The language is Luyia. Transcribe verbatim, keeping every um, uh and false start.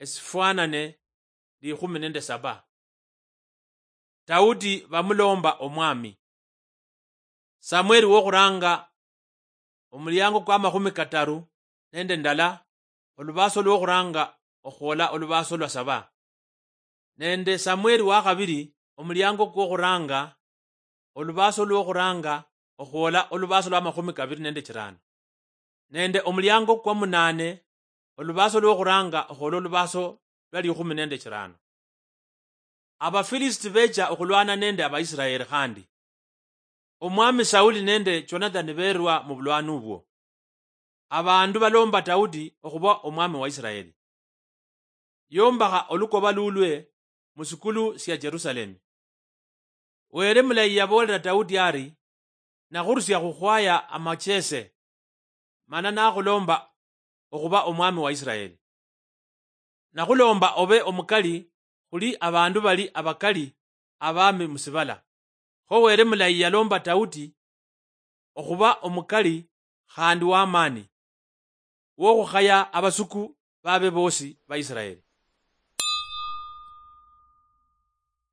esifwanane likhumi nende saba. Daudi bamulomba omwami. Samueli wokhuranga, omuliango kwa makhumi kataru nende ndala, olubaso lwokhuranga okhwola olubaso lwa saba. Nende Samueli wakhabiri, omuliango kwokhuranga, olubaso lwokhuranga okhwola olubaso lwa makhumi kabiri nende chirano. Nende omuliango kwa munane, olubaso lwokhuranga okhwola olubaso lwa likhumi nende chirano. Abafilisiti becha okhulwana nende Abaisiraeli khandi. Omwami Sauli nende Jonathani berwa mu bulwani obwo. Abandu balomba Daudi okhuba omwami wa Isiraeli. Yombakha olukoba lulwe mu sikulu sia Jerusalemi. Wele mulayi yaboolera Daudi ari, "Nakhurusia khukhwaya amachese, mana nakhulomba okhuba omwami wa Isiraeli. Nakhulomba obe omukali khuli abandu bali abakali abami musibala." Kho Wele mulayi yalomba Daudi okhuba omukali khandi w'amaani, wokhukhaya abasuku babe bosi ba Isiraeli.